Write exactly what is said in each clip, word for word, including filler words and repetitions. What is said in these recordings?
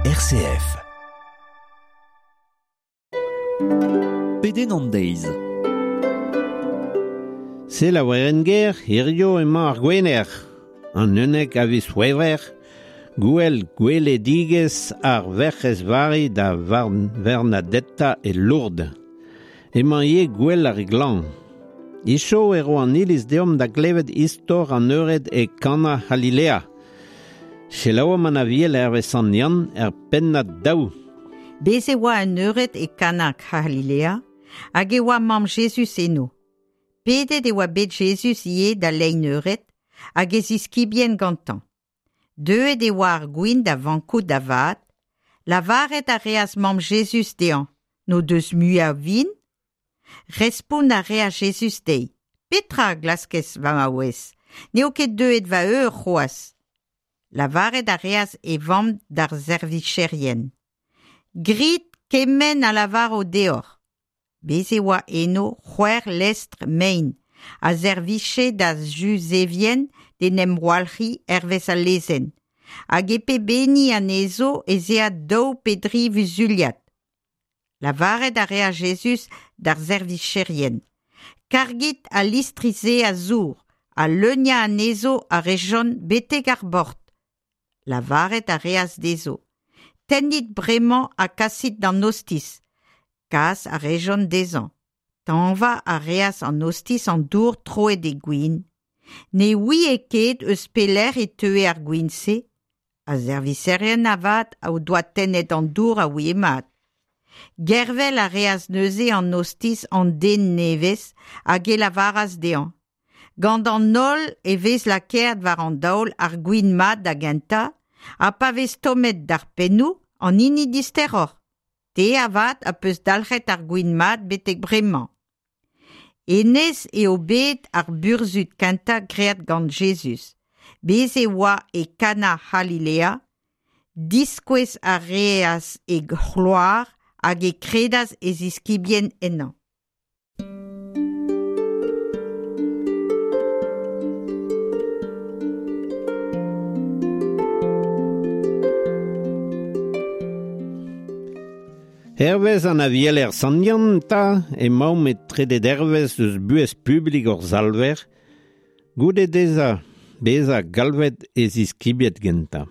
R C F. Pedenn an deiz. Se la werenn-ger, hirio emañ ar gwener. An unnek a viz C'hwevrer, gwell gweledigezh ar Werc'hez Vari da Vernadetta e Lourdes. Emañ ivez gwell ar glan. Icho e ro an iliz deomp da glevet istor an eured e Kana C'halilea. Selaouomp an aviel hervez Sant Yann er pennad daou. Bez e oa un eured e Kana C'halilea hag e oa mamm Jezuz eno. Pedet e oa bet Jezuz ivez da lein eured hag e ziskibien gantañ. Deuet e oa ar gwin da vankout da vat, lavaret a reas mamm Jezuz dezhañ, n'o deus mui a vin? Respont a reas Jezuz dezhi, Petra a glaskez va maouez, n'eo ket deuet va eur c'hoazh. Lavaret a reas e vamm d'ar servicherien. Grit kement a lavaro deoc'h. Bez e oa eno c'hwec'h lestr mein, a serviche da Juzevien d'en em walc'hiñ hervez al lezenn, hag e pep hini anezho ez ea daou pe dri vuzuliad. Lavaret a reas Jezuz d'ar servicherien. Kargit al listri-se a zour, ha leuniañ anezho a rejont betek ar bord. Lavaret a reas dezho. Tennit bremañ ha kasit d'an ostiz. Kas a rejont dezhañ. Tañva a reas an ostiz an dour troet e gwin. Ne ouie ket eus pelec'h e teue ar gwin-se. Ar servicherien avat o doa tennet an dour a ouie mat. Gervel a reas neuze an ostiz an den nevez hag e lavaras dezhañ. Gant an holl e vez lakaet war an daol ar gwin mat da gentañ, ha pa vez tommet d'ar pennoù an hini disteroc'h. Te avat a peus dalc'het ar gwin mat betek bremañ. Hennezh eo bet ar burzhud kentañ graet gant Jezuz. Bez e oa e Kana C'halilea, diskouez a reas e c'hloar hag e kredas e ziskibien ennañ. Hervez an avieler Sant Yann ta emaomp e trede dervezh eus buhez publik hor Salver, goude dezhañ bezañ galvet e ziskibiet gentañ.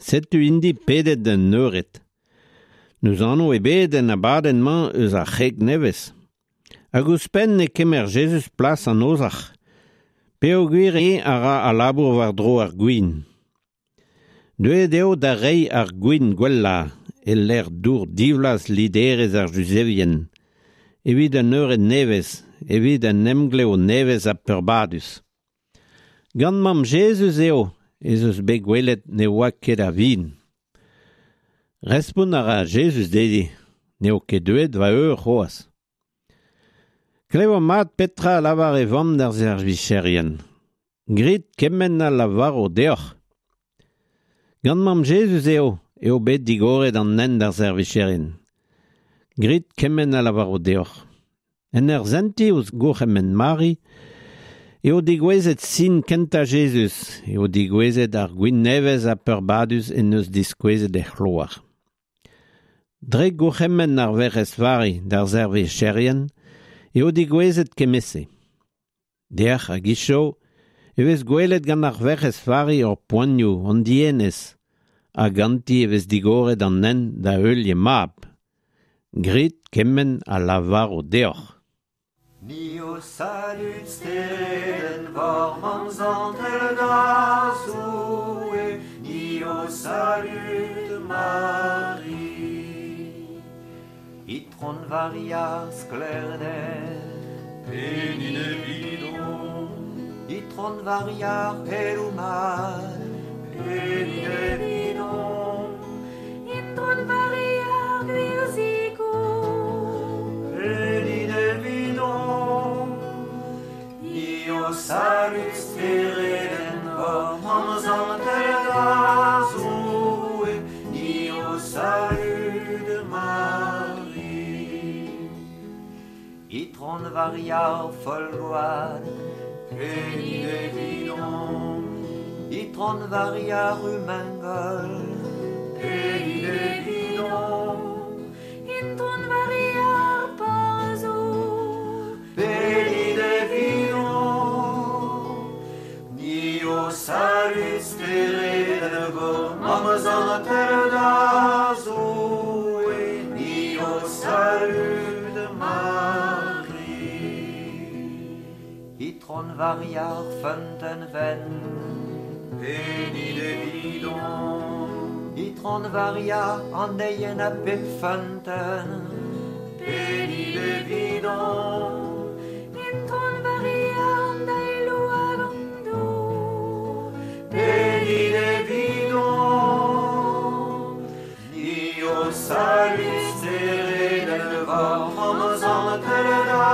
Setu int-i pedet d'un eured. N'eus anv ebet en abadenn-mañ eus ar c'hreg nevez. Hag ouzhpenn e kemer Jezuz plas an ozhac'h, peogwir eo a ra al labour war-dro ar gwin. Deuet eo da reiñ ar gwin gwellañ e lec'h dour divlaz liderezh ar Juzevien, evit un eured nevez, evit un emglev nevez ha peurbadus. Gant mamm Jezuz eo ez eus bet gwelet ne oa ket a vin. Respont a ra Jezuz dezhi, n'eo ket deuet va eur c'hoazh. Klev mat petra a lavar e vamm d'ar servicherien. Grit kement a lavaro deoc'h. Gant mamm Jezuz eo eo bet digoret an hent d'ar servicherien. Grit kement a lavaro deoc'h. En ur sentiñ ouzh gourc'hemenn Mari, eo degouezhet sin kentañ Jezuz, eo degouezhet ar gwin nevez ha peurbadus en deus diskouezet e c'hloar. Dre gourc'hemenn ar Werc'hez Vari d'ar servicherien, eo degouezhet kement-se. Dec'h hag hiziv e vez gwelet gant ar Werc'hez Vari hor poanioù, hon dienez, ha ganti e vez digoret an hent da heul he mab. Grit kement a lavaro deoc'h. Ni ho salud steredenn war mamm zantel da Zoue, ni ho salud Mari. Itron Varia sklêrder, pedit evidomp. Itron Varia c'heloù mat, pedit evidomp. Itron Varia gwir zikour, pedit evidomp. Ni ho salud steredenn war mamm zantel da Zoue, ni ho salud Mari. Itron Varia Folgoad, pedit evidomp. Itron Varia Rumengol, pedit Zantel da Zoue, ni ho salud Mari. Itron Varia ar feunteun wenn, Pedit evidon, Itron Varia an deien a bep feunteun, pedit evidon, Itron Varia an daelou hag an dour, pedit evidon, ni ho salud steredenn vor, Mamm zantel da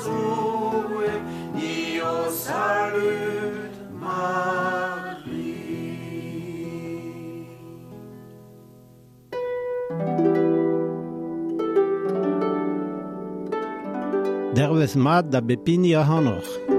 Zoue, ni ho salud Mari. Dervez mat da bep hini ac'hanoc'h.